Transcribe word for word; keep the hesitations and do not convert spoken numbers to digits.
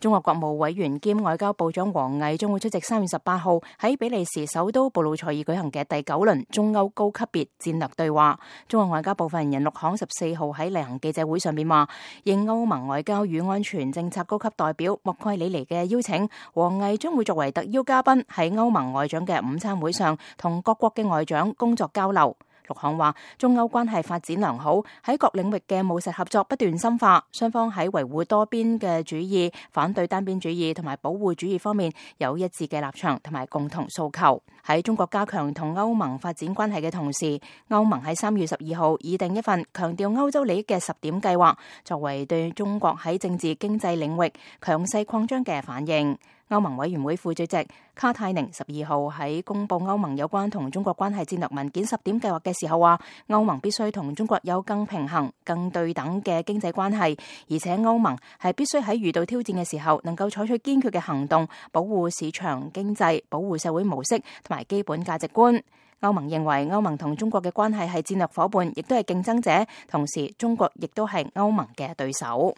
中國國務委員兼外交部長王毅將會出席三月十八號喺比利時首都布魯塞爾舉行嘅第九輪中歐高級別戰略對話。中國外交部發言人陸慷十四號喺例行記者會上面話，應歐盟外交與安全政策高級代表莫蓋里尼嘅邀請，王毅將會作為特邀嘉賓喺歐盟外長嘅午餐會上同各國嘅外長工作交流。陸慷話，中歐關係發展良好，喺各領域嘅務實合作不斷深化，雙方喺維護多邊嘅主義、反對單邊主義同埋保護主義方面有一致嘅立場同埋共同訴求。喺中國加強同歐盟發展關係嘅同時，歐盟喺三月十二號擬定一份強調歐洲利益嘅十點計劃，作為對中國喺政治經濟領域強勢擴張嘅反應。歐盟委員會副主席卡泰寧十二號喺公布歐盟有關同中國關係戰略文件十點計劃嘅時候話，歐盟必須同中國有更平衡、更對等嘅經濟關係，而且歐盟係必須喺遇到挑戰嘅時候能夠採取堅決嘅行動，保護市場經濟、保護社會模式同埋基本價值觀。歐盟認為歐盟同中國嘅關係係戰略夥伴，亦都係競爭者，同時中國亦都係歐盟嘅對手。